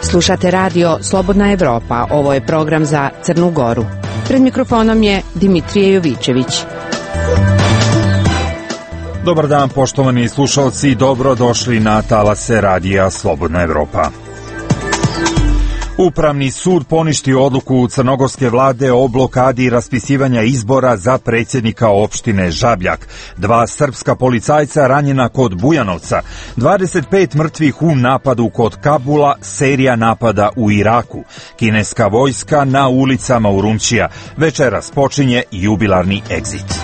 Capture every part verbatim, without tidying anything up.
Slušate radio Slobodna Evropa, ovo je program za Crnu Goru. Pred mikrofonom je Dimitrije Jovičević. Dobar dan, poštovani slušalci, dobro došli na talase radija Slobodna Evropa. Upravni sud poništio odluku crnogorske vlade o blokadi raspisivanja izbora za predsjednika opštine Žabljak. Dva srpska policajca ranjena kod Bujanovca, dvadeset pet mrtvih u napadu kod Kabula, serija napada u Iraku, kineska vojska na ulicama Urumčija. Večeras počinje jubilarni egzit.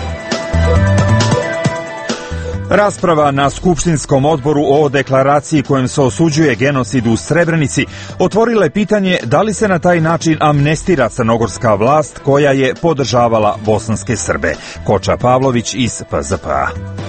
Rasprava na Skupštinskom odboru o deklaraciji kojom se osuđuje genocid u Srebrenici otvorila je pitanje da li se na taj način amnestira crnogorska vlast koja je podržavala bosanske Srbe. Koča Pavlović iz P Z P A.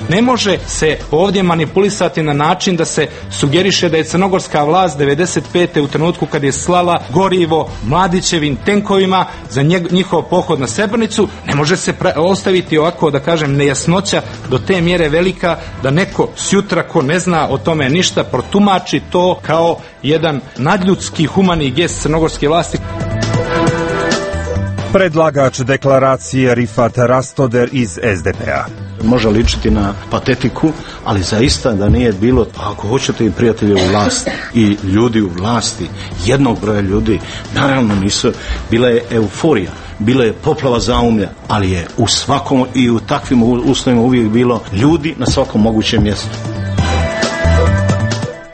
Ne može se ovdje manipulisati na način da se sugeriše da je crnogorska vlast devedeset pete u trenutku kad je slala gorivo Mladićevim tenkovima za njihov pohod na Srebrenicu, ne može se ostaviti ovako, da kažem, nejasnoća do te mjere velika da neko sjutra ko ne zna o tome ništa protumači to kao jedan nadljudski humani gest crnogorske vlasti. Predlagač deklaracije Rifat Rastoder iz S D P A. Može ličiti na patetiku, ali zaista da nije bilo, pa ako hoćete i prijatelje u vlasti i ljudi u vlasti, jednog broja ljudi, naravno nisu, bila je euforija, bila je poplava zaumlja, ali je u svakom i u takvim uslovima uvijek bilo ljudi na svakom mogućem mjestu.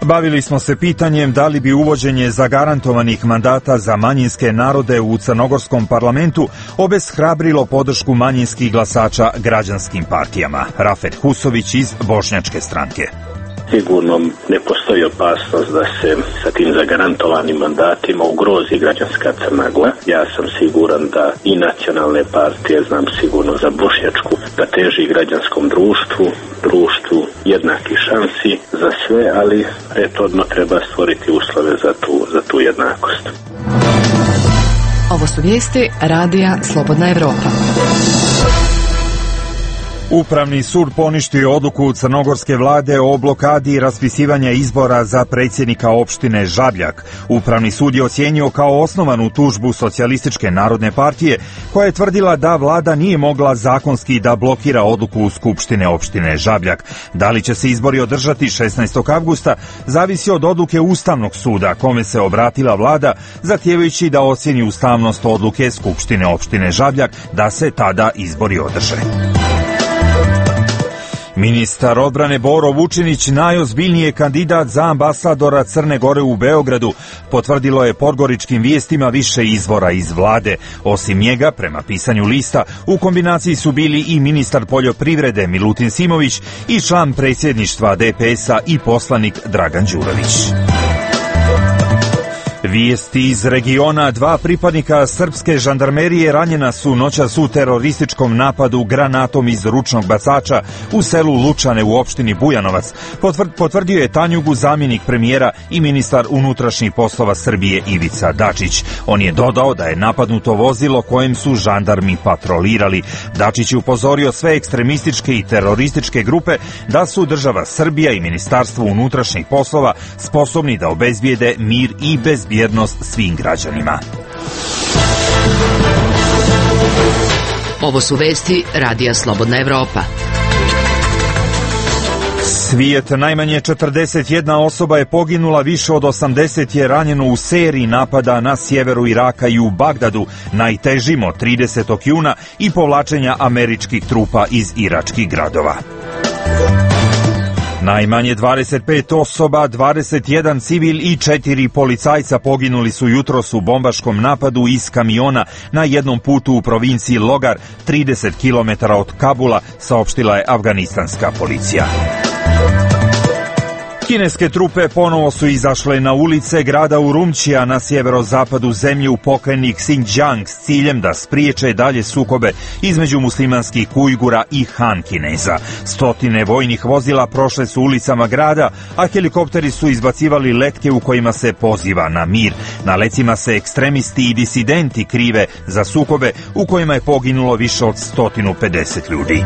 Bavili smo se pitanjem da li bi uvođenje zagarantovanih mandata za manjinske narode u crnogorskom parlamentu obeshrabrilo podršku manjinskih glasača građanskim partijama. Rafet Husović iz Bošnjačke stranke. Sigurno ne postoji opasnost da se sa tim zagarantovanim mandatima ugrozi građanska Crna Gora. Ja sam siguran da i nacionalne partije, znam sigurno za Bošnjačku, da teži građanskom društvu, društvu jednakih šansi za sve, ali prethodno treba stvoriti uslove za tu, za tu jednakost. Ovo su vijesti radija Slobodna Evropa. Upravni sud poništio odluku crnogorske vlade o blokadi raspisivanja izbora za predsjednika opštine Žabljak. Upravni sud je ocijenio kao osnovanu tužbu Socijalističke narodne partije, koja je tvrdila da vlada nije mogla zakonski da blokira odluku Skupštine opštine Žabljak. Da li će se izbori održati šesnaestog avgusta zavisi od odluke Ustavnog suda, kome se obratila vlada, zahtijevajući da ocjeni ustavnost odluke Skupštine opštine Žabljak da se tada izbori održe. Ministar odbrane Boro Vučinić, najozbiljniji je kandidat za ambasadora Crne Gore u Beogradu, potvrdilo je podgoričkim vijestima više izvora iz vlade. Osim njega, prema pisanju lista, u kombinaciji su bili i ministar poljoprivrede Milutin Simović i član predsjedništva D P S-a i poslanik Dragan Đurović. Vijesti iz regiona. Dva pripadnika srpske žandarmerije ranjena su noćas u terorističkom napadu granatom iz ručnog bacača u selu Lučane u opštini Bujanovac. Potvrdio je Tanjugu zamjenik premijera i ministar unutrašnjih poslova Srbije Ivica Dačić. On je dodao da je napadnuto vozilo kojem su žandarmi patrolirali. Dačić je upozorio sve ekstremističke i terorističke grupe da su država Srbija i ministarstvo unutrašnjih poslova sposobni da obezbijede mir i bezbjednost svim građanima. Ovo su vesti radija Slobodna Evropa. Svijet, najmanje četrdeset jedna osoba je poginula, više od osamdeset je ranjeno u seriji napada na sjeveru Iraka i u Bagdadu, najtežim od tridesetog juna i povlačenja američkih trupa iz iračkih gradova. Najmanje dvadeset pet osoba, dvadeset jedan civil i četiri policajca poginuli su jutros u bombaškom napadu iz kamiona na jednom putu u provinciji Logar, trideset kilometara od Kabula, saopštila je afganistanska policija. Kineske trupe ponovo su izašle na ulice grada Urumčija na sjeverozapadu zemlje u pokrajini Xinjiang s ciljem da spriječe dalje sukobe između muslimanskih Ujgura i Han Kineza. Stotine vojnih vozila prošle su ulicama grada, a helikopteri su izbacivali letke u kojima se poziva na mir. Na lecima se ekstremisti i disidenti krive za sukobe u kojima je poginulo više od sto pedeset ljudi.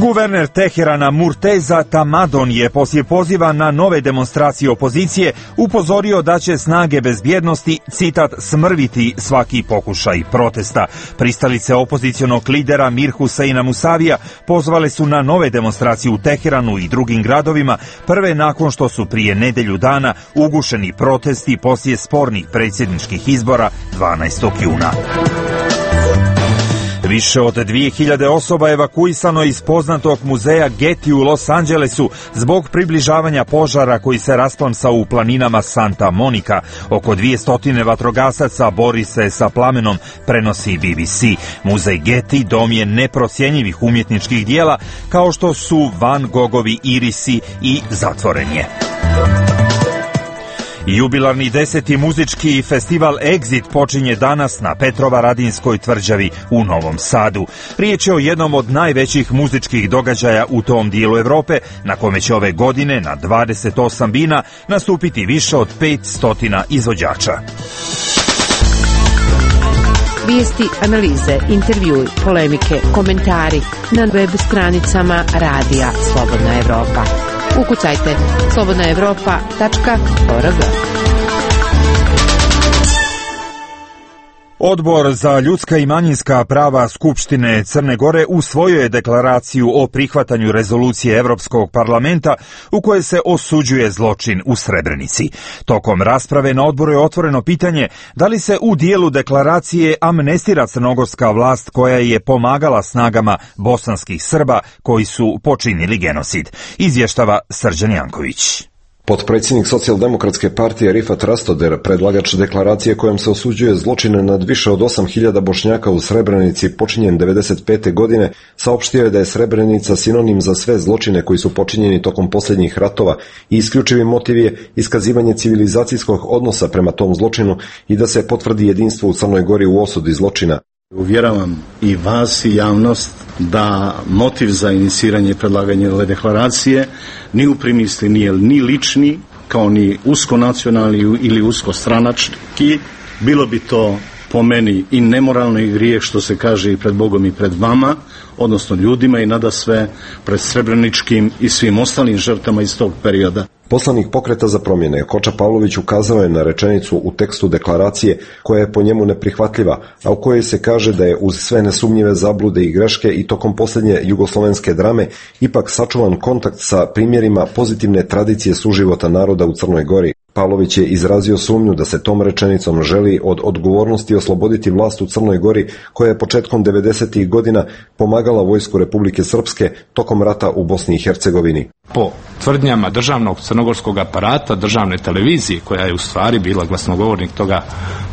Guverner Teherana Murteza Tamadon je poslije poziva na nove demonstracije opozicije upozorio da će snage bezbjednosti, citat, smrviti svaki pokušaj protesta. Pristalice opozicionog lidera Mir Huseina Musavija pozvale su na nove demonstracije u Teheranu i drugim gradovima, prve nakon što su prije nedelju dana ugušeni protesti poslije spornih predsjedničkih izbora dvanaestog juna. Više od dvije hiljade osoba evakuisano iz poznatog muzeja Getty u Los Angelesu zbog približavanja požara koji se rasplamsao u planinama Santa Monica. Oko dvjesto vatrogasaca bori se sa plamenom, prenosi B B C. Muzej Getty dom je neprocjenjivih umjetničkih dijela kao što su Van Gogovi irisi i zatvoren je. Jubilarni deseti muzički festival Exit počinje danas na Petrovaradinskoj tvrđavi u Novom Sadu. Riječ je o jednom od najvećih muzičkih događaja u tom dijelu Europe, na kome će ove godine na dvadeset osam bina nastupiti više od petsto izvođača. Vijesti, analize, intervjui, polemike, komentari na web stranicama Radija Slobodna Evropa. Ukucajte slobodna evropa tačka org. Odbor za ljudska i manjinska prava Skupštine Crne Gore usvojio je deklaraciju o prihvatanju rezolucije Europskog parlamenta u kojoj se osuđuje zločin u Srebrenici. Tokom rasprave na odboru je otvoreno pitanje da li se u dijelu deklaracije amnestira crnogorska vlast koja je pomagala snagama bosanskih Srba koji su počinili genocid. Izvještava Srđan Janković. Potpredsjednik Socijaldemokratske partije Rifat Rastoder, predlagač deklaracije kojom se osuđuje zločine nad više od osam hiljada Bošnjaka u Srebrenici počinjen devedeset pete godine, saopštio je da je Srebrenica sinonim za sve zločine koji su počinjeni tokom posljednjih ratova i isključivi motiv je iskazivanje civilizacijskog odnosa prema tom zločinu i da se potvrdi jedinstvo u Crnoj Gori u osudi zločina. Uvjeravam i vas i javnost da motiv za iniciranje i predlaganje ove deklaracije ni u primisli nije ni lični, kao ni uskonacionalni ili uskostranački. Bilo bi to po meni i nemoralno i grijeh, što se kaže i pred Bogom i pred vama, odnosno ljudima, i nadasve pred srebreničkim i svim ostalim žrtvama iz tog perioda. Poslanik Pokreta za promjene Koča Pavlović ukazao je na rečenicu u tekstu deklaracije koja je po njemu neprihvatljiva, a u kojoj se kaže da je uz sve nesumnjive zablude i greške i tokom posljednje jugoslovenske drame ipak sačuvan kontakt sa primjerima pozitivne tradicije suživota naroda u Crnoj Gori. Pavlović je izrazio sumnju da se tom rečenicom želi od odgovornosti osloboditi vlast u Crnoj Gori koja je početkom devedesetih godina pomagala vojsku Republike Srpske tokom rata u Bosni i Hercegovini. Po tvrdnjama državnog crnogorskog aparata, državne televizije, koja je u stvari bila glasnogovornik toga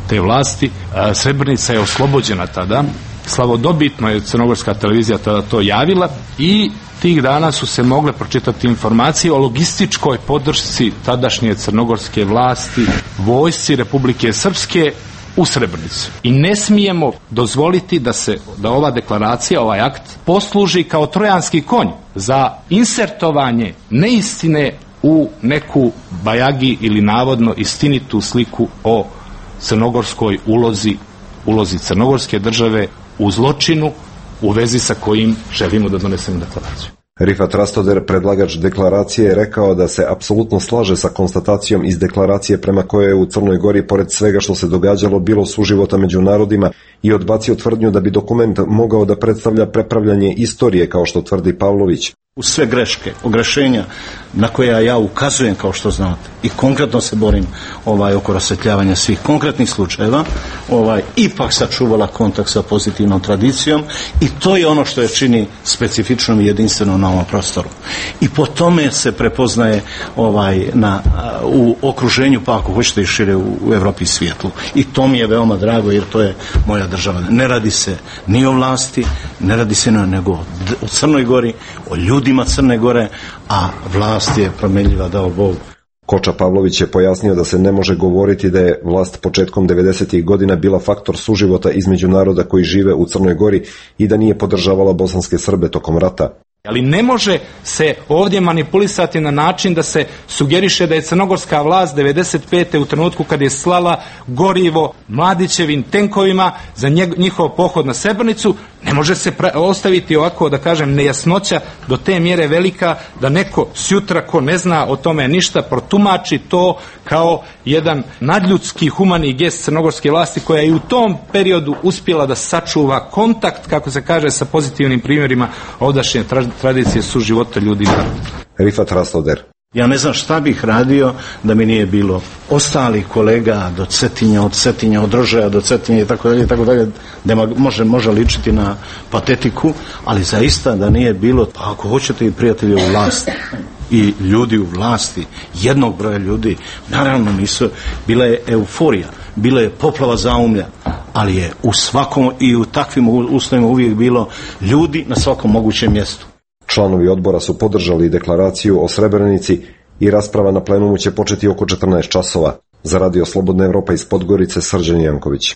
te vlasti, Srebrenica je oslobođena tada. Slavodobitno je crnogorska televizija tada to javila i tih dana su se mogle pročitati informacije o logističkoj podršci tadašnje crnogorske vlasti vojsci Republike Srpske u Srebrenici. I ne smijemo dozvoliti da se da ova deklaracija, ovaj akt posluži kao trojanski konj za insertovanje neistine u neku bajagi ili navodno istinitu sliku o crnogorskoj ulozi, ulozi crnogorske države u zločinu u vezi sa kojim želimo da donesemo deklaraciju. Rifat Rastoder, predlagač deklaracije, je rekao da se apsolutno slaže sa konstatacijom iz deklaracije prema kojoj je u Crnoj Gori, pored svega što se događalo, bilo suživota među narodima, i odbacio tvrdnju da bi dokument mogao da predstavlja prepravljanje istorije, kao što tvrdi Pavlović. Uz sve greške, ogrešenja na koje ja ukazujem, kao što znate, i konkretno se borim ovaj, oko rasvetljavanja svih konkretnih slučajeva, ovaj, ipak sačuvala kontakt sa pozitivnom tradicijom, i to je ono što je čini specifičnom i jedinstvenom na ovom prostoru. I po tome se prepoznaje ovaj, na, u okruženju, pa ako hoćete i šire u, u Evropi i svijetu. I to mi je veoma drago, jer to je moja država. Ne radi se ni o vlasti, ne radi se nego o Crnoj Gori, o ljudima Crne Gore, a vlast je promenljiva, dao Bog. Koča Pavlović je pojasnio da se ne može govoriti da je vlast početkom devedesetih godina bila faktor suživota između naroda koji žive u Crnoj Gori i da nije podržavala bosanske Srbe tokom rata. Ali ne može se ovdje manipulisati na način da se sugeriše da je crnogorska vlast devedeset pete u trenutku kad je slala gorivo Mladićevim tenkovima za njihov pohod na Srebrenicu, Ne može se pra- ostaviti ovako, da kažem, nejasnoća do te mjere velika da neko sjutra ko ne zna o tome ništa protumači to kao jedan nadljudski humani gest crnogorske vlasti koja je i u tom periodu uspjela da sačuva kontakt, kako se kaže, sa pozitivnim primjerima ovdašnje tra- tradicije suživota ljudi. Rifat Rasloder. Ja ne znam šta bih radio da mi nije bilo ostalih kolega do Cetinja, od Cetinja, od Rožaja do Cetinja i tako dalje, i tako dalje, da može, može ličiti na patetiku, ali zaista da nije bilo, pa ako hoćete i prijatelje u vlasti i ljudi u vlasti, jednog broja ljudi, naravno nisu, bila je euforija, bila je poplava zaumlja, ali je u svakom i u takvim uslovima uvijek bilo ljudi na svakom mogućem mjestu. Članovi odbora su podržali deklaraciju o Srebrenici i rasprava na plenumu će početi oko četrnaest časova. Za Radio Slobodna Evropa iz Podgorice, Srđan Janković.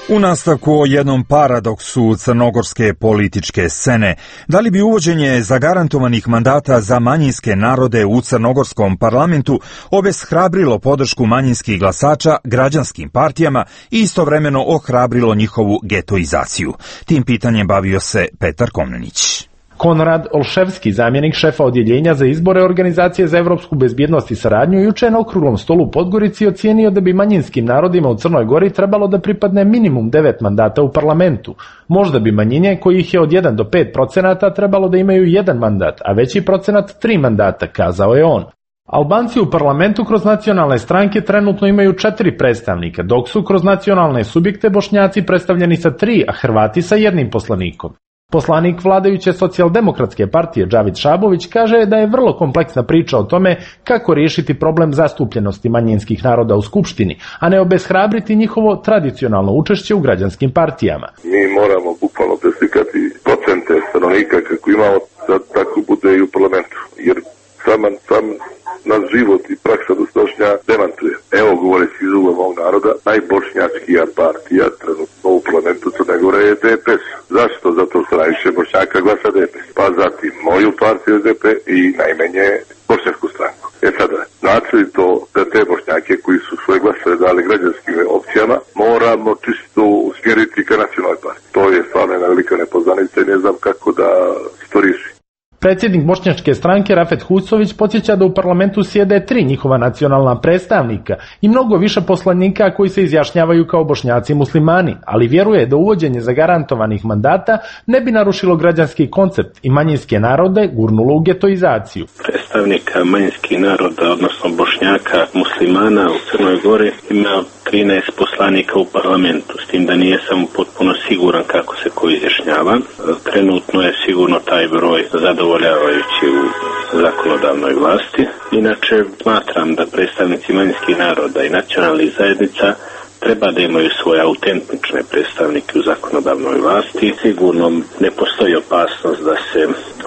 U nastavku o jednom paradoksu crnogorske političke scene. Da li bi uvođenje zagarantovanih mandata za manjinske narode u crnogorskom parlamentu obeshrabrilo podršku manjinskih glasača građanskim partijama i istovremeno ohrabrilo njihovu getoizaciju? Tim pitanjem bavio se Petar Komnenić. Konrad Olševski, zamjenik šefa odjeljenja za izbore Organizacije za evropsku bezbjednost i saradnju, juče na okruglom stolu u Podgorici ocijenio da bi manjinskim narodima u Crnoj Gori trebalo da pripadne minimum devet mandata u parlamentu. Možda bi manjine, kojih je od jedan do pet procenata, trebalo da imaju jedan mandat, a veći procenat tri mandata, kazao je on. Albanci u parlamentu kroz nacionalne stranke trenutno imaju četiri predstavnika, dok su kroz nacionalne subjekte Bošnjaci predstavljeni sa tri, a Hrvati sa jednim poslanikom. Poslanik vladajuće socijaldemokratske partije Džavid Šabović kaže da je vrlo kompleksna priča o tome kako riješiti problem zastupljenosti manjinskih naroda u Skupštini, a ne obeshrabriti njihovo tradicionalno učešće u građanskim partijama. Mi moramo bukvalno preslikati procente stanovnika kako imamo, da tako bude i u parlamentu, jer sam, sam naš život i praksa dosadašnja demantuje. Evo govoreći iz ugla mog naroda, najbošnjačkija partija trenutno u parlamentu Crne Gore je D P S. Zašto? Zato što najviše Bošnjaka glasa D P S. Pa zatim moju partiju S D P i najmanje bošnjačku stranku. E sada, znači li to da te Bošnjake koji su svoje glasove dali građanskim opcijama moramo čisto usmjeriti ka nacionalnoj partiji? To je stvarno jedna velika nepoznanica i ne znam kako da se to riješi. Predsjednik bošnjačke stranke Rafet Husović podsjeća da u parlamentu sjede tri njihova nacionalna predstavnika i mnogo više poslanika koji se izjašnjavaju kao Bošnjaci muslimani, ali vjeruje da uvođenje zagarantovanih mandata ne bi narušilo građanski koncept i manjinske narode gurnulo u getoizaciju. Predstavnika manjinskih naroda, odnosno Bošnjaka muslimana u Crnoj Gori ima trinaest poslanika u parlamentu, s tim da nije samo potpuno siguran kako se ko izjašnjava. Trenutno je sigurno taj broj zadovoljavajući u zakonodavnoj vlasti. Inače, smatram da predstavnici manjinskih naroda i nacionalnih zajednica treba da imaju svoje autentične predstavnike u zakonodavnoj vlasti. Sigurno ne postoji opasnost da se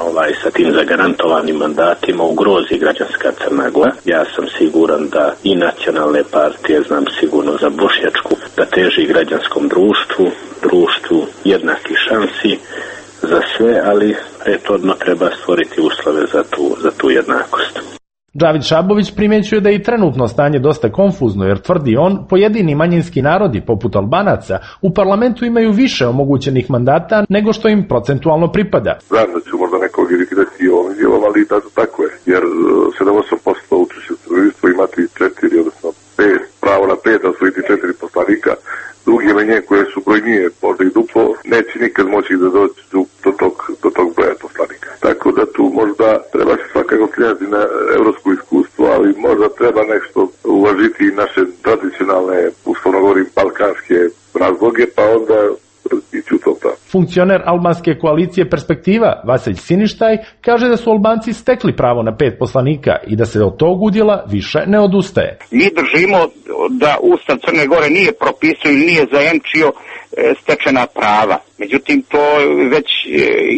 ovaj sa tim zagarantovanim mandatima ugrozi građanska Crna Gora. Ja sam siguran da i nacionalne partije, znam sigurno za bošnjačku, da teži građanskom društvu, društvu jednakih šansi za sve, ali prethodno treba stvoriti uslove za tu, za tu jednakost. Džavid Šabović primjećuje da je i trenutno stanje dosta konfuzno, jer tvrdi on, pojedini manjinski narodi, poput Albanaca, u parlamentu imaju više omogućenih mandata nego što im procentualno pripada. Znam da ću možda nekog iritirati ovom izjavom, ali da, tako je, jer sedam do osam posto učešća u stanovništvu imati četiri, odnosno pet, pravo na pet, da osvojiti četiri poslanika. Drugi menje koje su brojnije, možda i duplo, neće nikad moći da dođu do tog, do tog broja poslanika. Tako da tu možda treba se svakako slijeti na evropsko iskustvo, ali možda treba nešto uvažiti i naše tradicionalne, uslovno govorim, balkanske razloge, pa onda ići u to pravu. Funkcioner albanske koalicije Perspektiva, Vasilj Siništaj, kaže da su Albanci stekli pravo na pet poslanika i da se od tog udjela više ne odustaje. Mi držimo da Ustav Crne Gore nije propisao ili nije zajemčio stečena prava. Međutim, to već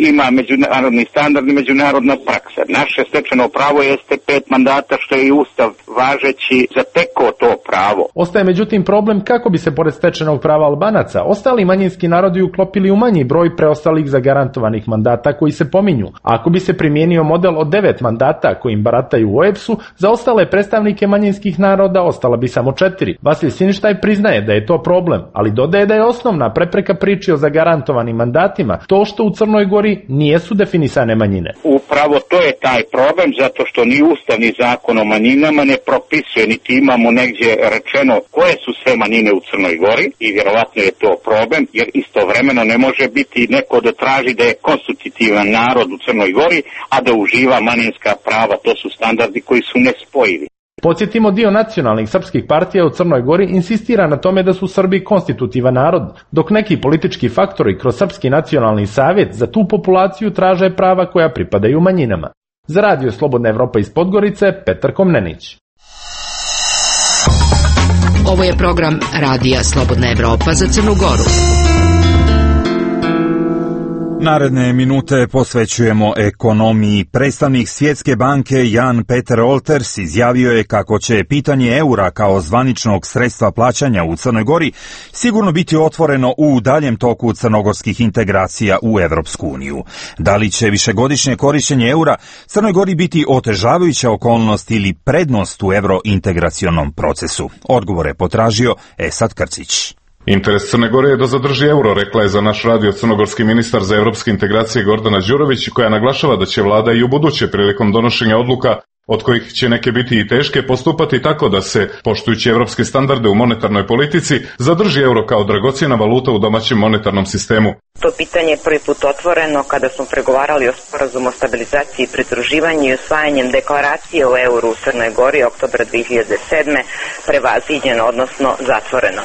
ima međunarodni standard i međunarodna praksa. Naše stečeno pravo jeste pet mandata, što je i Ustav važeći zatekao to pravo. Ostaje međutim problem kako bi se pored stečenog prava Albanaca ostali manjinski narodi uklopili u manji broj preostalih zagarantovanih mandata koji se pominju. Ako bi se primijenio model od devet mandata kojim barataju u O E B S-u, za ostale predstavnike manjinskih naroda ostala bi samo četiri. Vasilij Siništaj priznaje da je to problem, ali dodaje da je osnovna prepreka priči o zagarantovanim mandatima to što u Crnoj Gori nijesu definisane manjine. Upravo to je taj problem, zato što ni Ustav ni zakon o manjinama ne propisuje, niti imamo negdje rečeno koje su sve manjine u Crnoj Gori i vjerovatno je to problem, jer istovremeno ne može biti neko da traži da je konstitutivan narod u Crnoj Gori, a da uživa manjinska prava. To su standardi koji su nespojivi. Podsjetimo, dio nacionalnih srpskih partija u Crnoj Gori insistira na tome da su Srbi konstitutivan narod, dok neki politički faktori kroz Srpski nacionalni savjet za tu populaciju traže prava koja pripadaju manjinama. Za Radio Slobodna Evropa iz Podgorice, Petar Komnenić. Ovo je program Radija Slobodna Evropa za Crnu Goru. Naredne minute posvećujemo ekonomiji. Predstavnik Svjetske banke Jan Peter Olters izjavio je kako će pitanje eura kao zvaničnog sredstva plaćanja u Crnoj Gori sigurno biti otvoreno u daljem toku crnogorskih integracija u Evropsku uniju. Da li će višegodišnje korištenje eura Crnoj Gori biti otežavajuća okolnost ili prednost u evrointegracionom procesu? Odgovor je potražio Esad Krcić. Interes Crne Gore je da zadrži euro, rekla je za naš radio crnogorski ministar za evropske integracije Gordana Đurović, koja naglašava da će vlada i u buduće prilikom donošenja odluka, od kojih će neke biti i teške, postupati tako da se, poštujući evropske standarde u monetarnoj politici, zadrži euro kao dragocjena valuta u domaćem monetarnom sistemu. To pitanje je prvi put otvoreno kada smo pregovarali o sporazumu o stabilizaciji i pridruživanju i usvajanjem deklaracije o euru u Crnoj Gori oktobra dve hiljade sedme prevaziđeno, odnosno zatvoreno.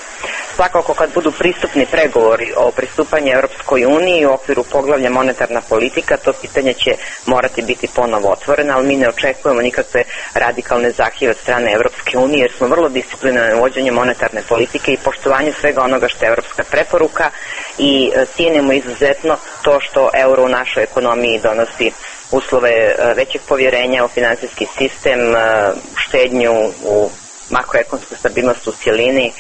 Svakako kad budu pristupni pregovori o pristupanju Europskoj uniji u okviru poglavlja monetarna politika, to pitanje će morati biti ponovo otvoreno, ali mi ne očekujemo nikakve radikalne zahtjeve od strane Europske unije, jer smo vrlo disciplinirani u vođenju monetarne politike i poštovanju svega onoga što je evropska preporuka i cijenimo izuzetno to što euro u našoj ekonomiji donosi uslove većeg povjerenja u finansijski sistem, štednju u makroekonomsku stabilnost u cjelini,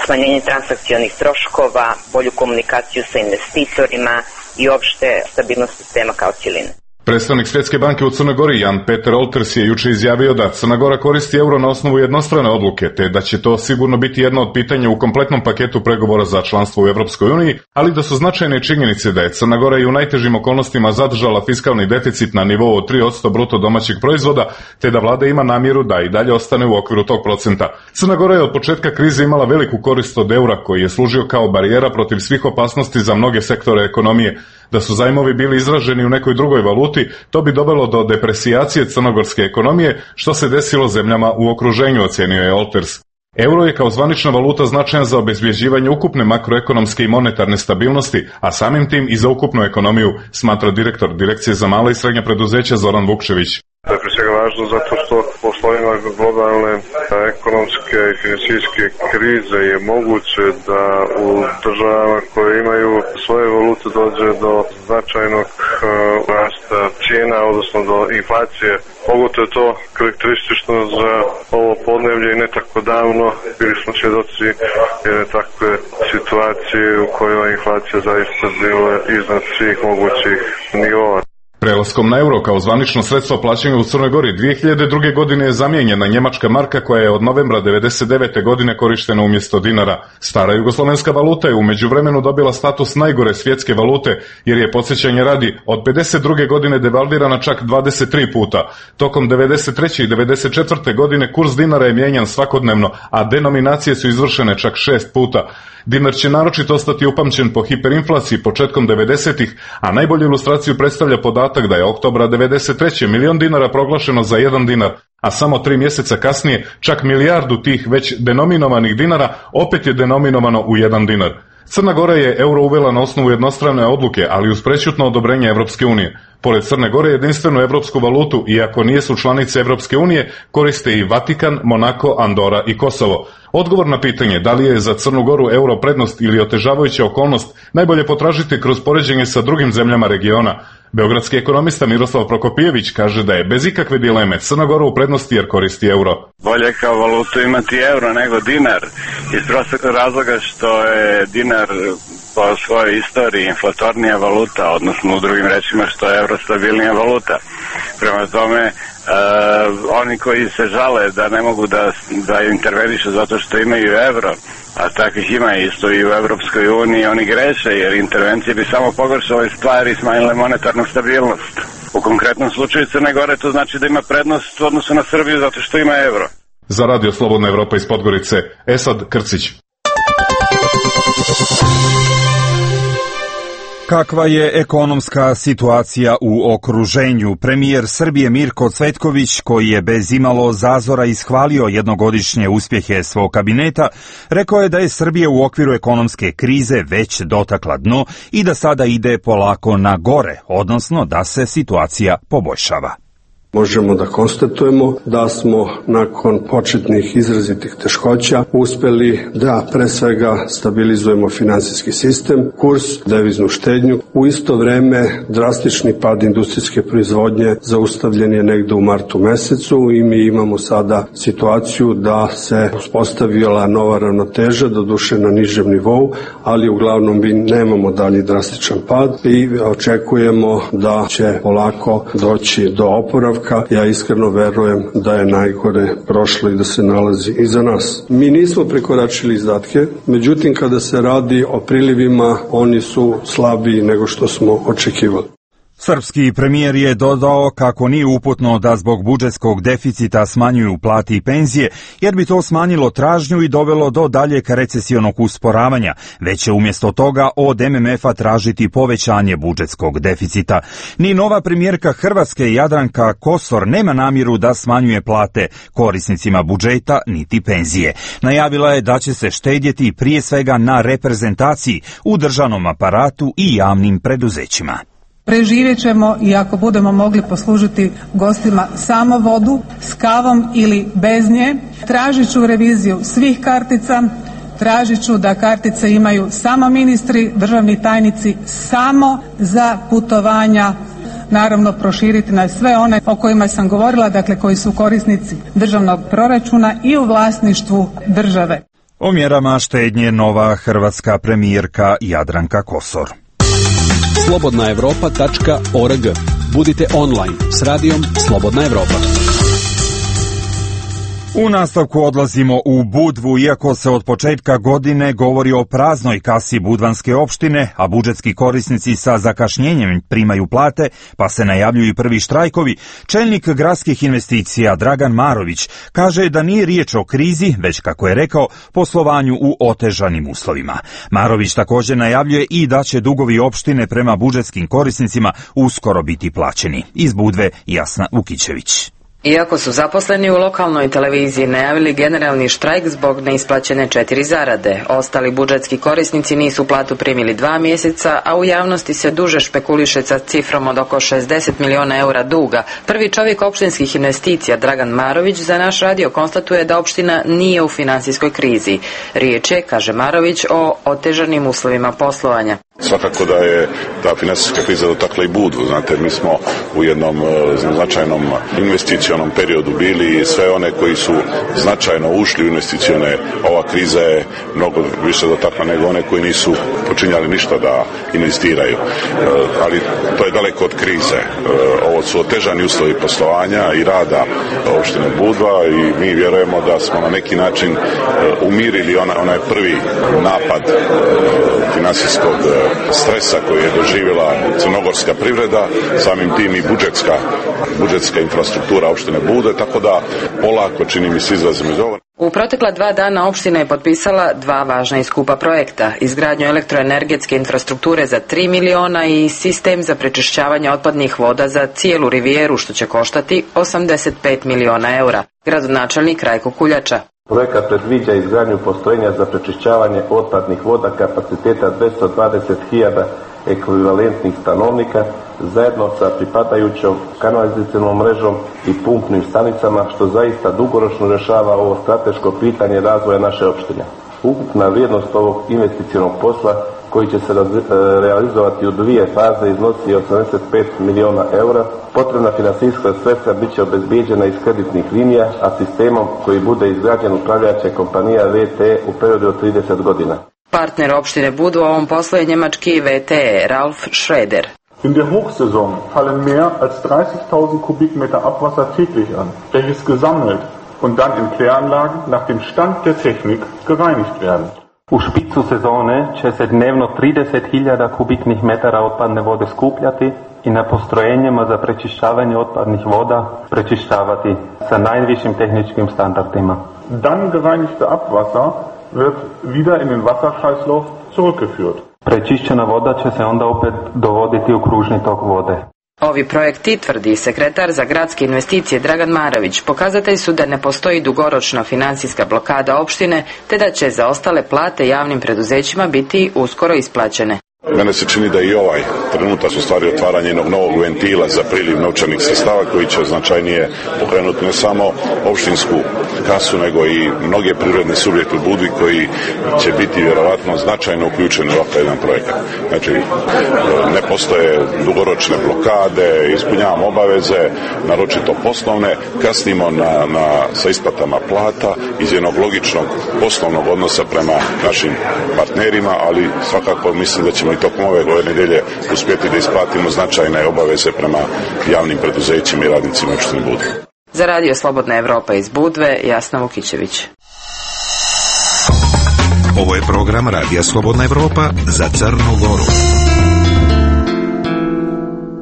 smanjenje transakcionih troškova, bolju komunikaciju sa investitorima i opšte stabilnost sistema kao cjeline. Predstavnik Svjetske banke u Crnoj Gori Jan Peter Olters je juče izjavio da Crna Gora koristi euro na osnovu jednostrane odluke, te da će to sigurno biti jedno od pitanja u kompletnom paketu pregovora za članstvo u Evropskoj uniji, ali da su značajne činjenice da je Crna Gora i u najtežim okolnostima zadržala fiskalni deficit na nivou od tri posto bruto domaćeg proizvoda, te da vlada ima namjeru da i dalje ostane u okviru tog procenta. Crna Gora je od početka krize imala veliku korist od eura, koji je služio kao barijera protiv svih opasnosti za mnoge sektore ekonomije. Da su zajmovi bili izraženi u nekoj drugoj valuti, to bi dovelo do depresijacije crnogorske ekonomije, što se desilo zemljama u okruženju, ocjenio je Olters. Euro je kao zvanična valuta značajan za obezbjeđivanje ukupne makroekonomske i monetarne stabilnosti, a samim tim i za ukupnu ekonomiju, smatra direktor Direkcije za mala i srednja preduzeća Zoran Vukčević. To je prije svega važno zato što u uslovima globalne ekonomske i financijske krize je moguće da u državama koje imaju svoje valute dođe do značajnog rasta cijena, odnosno do inflacije. Pogotovo je to karakteristično za ovo podneblje i ne tako davno bili smo svjedoci jedne takve situacije u kojoj je inflacija zaista bila iznad svih mogućih nivoa. Prelaskom na euro kao zvanično sredstvo plaćanja u Crnoj Gori dvije hiljade druge. godine je zamijenjena njemačka marka koja je od novembra devedeset devete. godine korištena umjesto dinara. Stara jugoslovenska valuta je u međuvremenu dobila status najgore svjetske valute jer je, podsjećanje radi, od pedeset druge. godine devalvirana čak dvadeset tri puta. Tokom devedeset treće. i devedeset četvrte. godine kurs dinara je mijenjan svakodnevno, a denominacije su izvršene čak šest puta. Dinar će naročito ostati upamćen po hiperinflaciji početkom devedesetih. a najbolju ilustraciju predstavlja podatak da je oktobra devedeset treće. milion dinara proglašeno za jedan dinar, a samo tri mjeseca kasnije čak milijardu tih već denominovanih dinara opet je denominovano u jedan dinar. Crna Gora je euro uvela na osnovu jednostrane odluke, ali uz prečutno odobrenje Evropske unije. Pored Crne Gore, jedinstvenu evropsku valutu, iako nijesu članice Evropske unije, koriste i Vatikan, Monako, Andora i Kosovo. Odgovor na pitanje da li je za Crnu Goru euro prednost ili otežavajuća okolnost najbolje potražiti kroz poređenje sa drugim zemljama regiona. Beogradski ekonomista Miroslav Prokopijević kaže da je bez ikakve dileme Crna Gora u prednosti jer koristi euro. Bolje kao valutu imati euro nego dinar, iz prostog razloga što je dinar po svojoj istoriji inflatornija valuta, odnosno u drugim rečima što je euro stabilnija valuta. Prema tome, Uh, oni koji se žale da ne mogu da, da intervenišu zato što imaju euro, a takvih ima isto i u Evropskoj uniji, oni greše jer intervencije bi samo pogoršale stvari i smanjile monetarnu stabilnost. U konkretnom slučaju Crne Gore to znači da ima prednost u odnosu na Srbiju zato što ima euro. Za Radio Slobodna Evropa iz Podgorice, Esad Krcić. Kakva je ekonomska situacija u okruženju? Premijer Srbije Mirko Cvetković, koji je bez imalo zazora ishvalio jednogodišnje uspjehe svog kabineta, rekao je da je Srbija u okviru ekonomske krize već dotakla dno i da sada ide polako na gore, odnosno da se situacija poboljšava. Možemo da konstatujemo da smo nakon početnih izrazitih teškoća uspjeli da pre svega stabilizujemo finansijski sistem, kurs, deviznu štednju. U isto vreme drastični pad industrijske proizvodnje zaustavljen je negde u martu mesecu i mi imamo sada situaciju da se uspostavila nova ravnoteža, doduše na nižem nivou, ali uglavnom mi nemamo dalji drastičan pad i očekujemo da će polako doći do oporavka. Ja iskreno verujem da je najgore prošlo i da se nalazi iza nas. Mi nismo prekoračili izdatke, međutim kada se radi o prilivima, oni su slabiji nego što smo očekivali. Srpski premijer je dodao kako nije uputno da zbog budžetskog deficita smanjuju plate i penzije, jer bi to smanjilo tražnju i dovelo do daljeg recesionog usporavanja, već će umjesto toga od M M F-a tražiti povećanje budžetskog deficita. Ni nova premijerka Hrvatske Jadranka Kosor nema namjeru da smanjuje plate korisnicima budžeta niti penzije. Najavila je da će se štedjeti prije svega na reprezentaciji u državnom aparatu i javnim preduzećima. Preživjet ćemo i ako budemo mogli poslužiti gostima samo vodu s kavom ili bez nje. Tražit ću reviziju svih kartica, tražit ću da kartice imaju samo ministri, državni tajnici samo za putovanja. Naravno proširiti na sve one o kojima sam govorila, dakle koji su korisnici državnog proračuna i u vlasništvu države. O mjerama štednje nova hrvatska premijerka Jadranka Kosor. slobodna evropa tačka org. Budite online s radijom Slobodna Evropa. U nastavku odlazimo u Budvu, iako se od početka godine govori o praznoj kasi budvanske opštine, a budžetski korisnici sa zakašnjenjem primaju plate, pa se najavljuju prvi štrajkovi. Čelnik gradskih investicija Dragan Marović kaže da nije riječ o krizi, već, kako je rekao, poslovanju u otežanim uslovima. Marović također najavljuje i da će dugovi opštine prema budžetskim korisnicima uskoro biti plaćeni. Iz Budve Jasna Ukićević. Iako su zaposleni u lokalnoj televiziji najavili generalni štrajk zbog neisplaćene četiri zarade, ostali budžetski korisnici nisu platu primili dva mjeseca, a u javnosti se duže špekuliše sa cifrom od oko šezdeset miliona eura duga. Prvi čovjek opštinskih investicija Dragan Marović za naš radio konstatuje da opština nije u finansijskoj krizi. Riječ je, kaže Marović, o otežanim uslovima poslovanja. Svakako da je ta financijska kriza dotakla i Budvu. Znate, mi smo u jednom značajnom investicionom periodu bili i sve one koji su značajno ušli u investicione, ova kriza je mnogo više dotakla nego one koji nisu počinjali ništa da investiraju. Ali to je daleko od krize. Ovo su otežani uslovi poslovanja i rada opštine Budva i mi vjerujemo da smo na neki način umirili onaj, onaj prvi napad finansijskog stresa koji je doživjela crnogorska privreda, samim tim i budžetska, budžetska infrastruktura opštine Budve, tako da polako, čini mi se, izlazimo iz ovoga. U protekla dva dana opština je potpisala dva važna i skupa projekta, izgradnju elektroenergetske infrastrukture za tri miliona i sistem za prečišćavanje otpadnih voda za cijelu rivijeru, što će koštati osamdeset pet miliona eura. Gradonačelnik Rajko Kuljača. Projekat predviđa izgradnju postrojenja za prečišćavanje otpadnih voda kapaciteta dvjesto dvadeset hiljada ekvivalentnih stanovnika zajedno sa pripadajućom kanalizacijom mrežom i pumpnim stanicama, što zaista dugoročno rješava ovo strateško pitanje razvoja naše opštine. Ukupna vrijednost ovog investicionog posla, koji će se realizovati u dvije faze, iznosi osamdeset pet miliona eura. Potrebna finansijska sredstva bit će obezbijeđena iz kreditnih linija, a sistemom koji bude izgrađen upravljaće kompanija V T E u periodu od trideset godina. Partner opštine Budu u ovom poslu je njemački V T E, Ralf Schroeder. In der Hochsaison fallen mehr als dreißigtausend Kubikmeter Abwasser täglich an, welches gesammelt und dann in Kläranlagen nach dem Stand der Technik gereinigt werden. U špicu sezone će se dnevno trideset hiljada kubiknih metara otpadne vode skupljati i na postrojenjima za prečišćavanje otpadnih voda prečišćavati sa najvišim tehničkim standardima. Dann gereinigte Abwasser wird wieder in den Wasserkreislauf zurückgeführt. Prečišćena voda će se onda opet dovoditi u kružni tok vode. Ovi projekti, tvrdi sekretar za gradske investicije Dragan Marović, pokazatelj su da ne postoji dugoročna financijska blokada opštine, te da će za ostale plate javnim preduzećima biti uskoro isplaćene. Mene se čini da i ovaj trenutak u stvari otvaranje jednog novog ventila za priliv novčanih sredstava koji će značajnije pokrenuti ne samo opštinsku kasu, nego i mnoge privredne subjekte u Budvi koji će biti vjerovatno značajno uključeni u ovakav jedan projekat. Znači, ne postoje dugoročne blokade, ispunjavamo obaveze, naročito poslovne, kasnimo na, na, sa isplatama plata iz jednog logičnog poslovnog odnosa prema našim partnerima, ali svakako mislim da ćemo i tokom ove godine nedelje uspjeti da isplatimo značajne obaveze prema javnim preduzećima i radnicima opštine Budva. Za Radio Slobodna Evropa iz Budve, Jasna Vukićević. Ovo je program Radija Slobodna Evropa za Crnu Goru.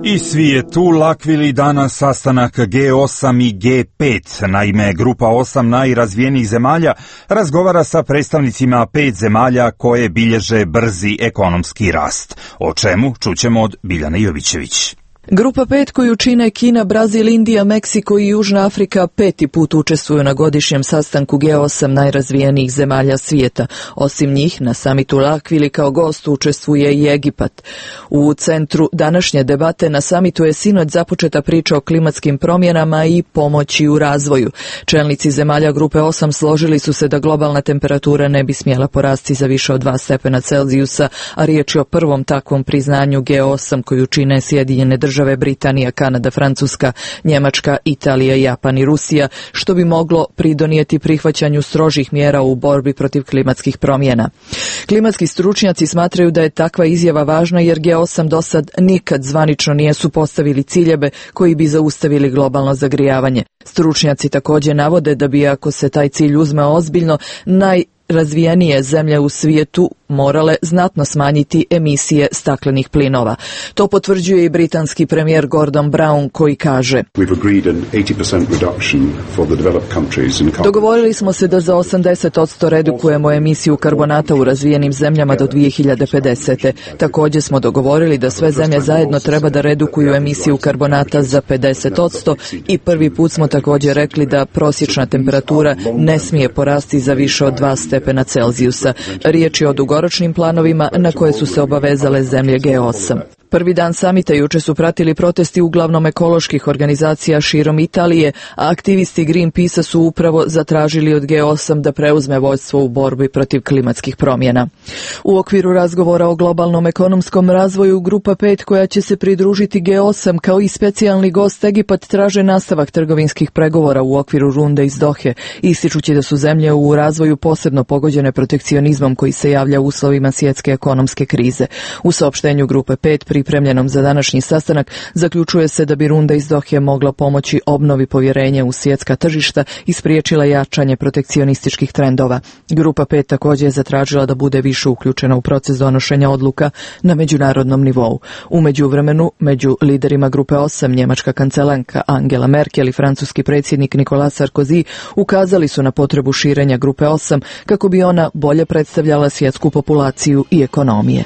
I svi je tu lakvili danas sastanak G osam i G pet. Naime, grupa osam najrazvijenijih zemalja razgovara sa predstavnicima pet zemalja koje bilježe brzi ekonomski rast. O čemu čućemo od Biljane Jovićević. Grupa pet koju čine Kina, Brazil, Indija, Meksiko i Južna Afrika peti put učestvuju na godišnjem sastanku G osam najrazvijenijih zemalja svijeta. Osim njih, na samitu Lakvili kao gost učestvuje i Egipat. U centru današnje debate na samitu je sinoć započeta priča o klimatskim promjenama i pomoći u razvoju. Čelnici zemalja grupe osam složili su se da globalna temperatura ne bi smjela porasti za više od dva stepena Celzijusa, a riječ je o prvom takvom priznanju G osam koju čine Sjedinjene države. Države Britanija, Kanada, Francuska, Njemačka, Italija, Japan i Rusija, što bi moglo pridonijeti prihvaćanju strožih mjera u borbi protiv klimatskih promjena. Klimatski stručnjaci smatraju da je takva izjava važna jer G osam do sad nikad zvanično nije supostavili ciljeve koji bi zaustavili globalno zagrijavanje. Stručnjaci također navode da bi, ako se taj cilj uzme ozbiljno, najrazvijenije zemlje u svijetu morale znatno smanjiti emisije staklenih plinova. To potvrđuje i britanski premijer Gordon Brown koji kaže: Dogovorili smo se da za osamdeset posto redukujemo emisiju karbonata u razvijenim zemljama do dvije hiljade pedesete. Također smo dogovorili da sve zemlje zajedno treba da redukuju emisiju karbonata za pedeset posto i prvi put smo također rekli da prosječna temperatura ne smije porasti za više od dva stepena Celzijusa. Riječ je o dugoročnim planovima na koje su se obavezale zemlje G osam. Prvi dan samita juče su pratili protesti uglavnom ekoloških organizacija širom Italije, a aktivisti Greenpeace su upravo zatražili od G osam da preuzme vodstvo u borbi protiv klimatskih promjena. U okviru razgovora o globalnom ekonomskom razvoju, grupa pet koja će se pridružiti G osam kao i specijalni gost Egipat traže nastavak trgovinskih pregovora u okviru runde iz Dohe, ističući da su zemlje u razvoju posebno pogođene protekcionizmom koji se javlja u uslovima svjetske ekonomske krize. U saopštenju grupe pet pripremljenom za današnji sastanak zaključuje se da bi runda iz Dohe mogla pomoći obnovi povjerenja u svjetska tržišta i spriječila jačanje protekcionističkih trendova. Grupa pet također je zatražila da bude više uključena u proces donošenja odluka na međunarodnom nivou. U međuvremenu, među liderima grupe osam, njemačka kancelanka Angela Merkel i francuski predsjednik Nicolas Sarkozy ukazali su na potrebu širenja grupe osam kako bi ona bolje predstavljala svjetsku populaciju i ekonomije.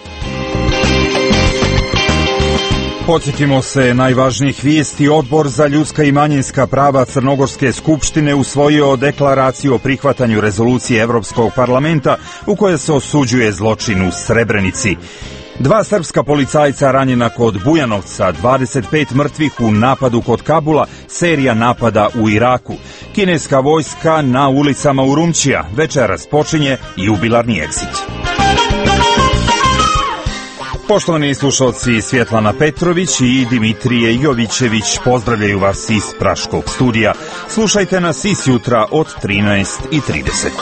Podsjetimo se najvažnijih vijesti. Odbor za ljudska i manjinska prava Crnogorske skupštine usvojio deklaraciju o prihvatanju rezolucije Europskog parlamenta u kojoj se osuđuje zločin u Srebrenici. Dva srpska policajca ranjena kod Bujanovca, dvadeset pet mrtvih u napadu kod Kabula, serija napada u Iraku. Kineska vojska na ulicama Urumčija, večeras počinje jubilarni egzit. Poštovani slušalci, Svjetlana Petrović i Dimitrije Jovićević pozdravljaju vas iz Praškog studija. Slušajte nas i sjutra od trinaest i trideset.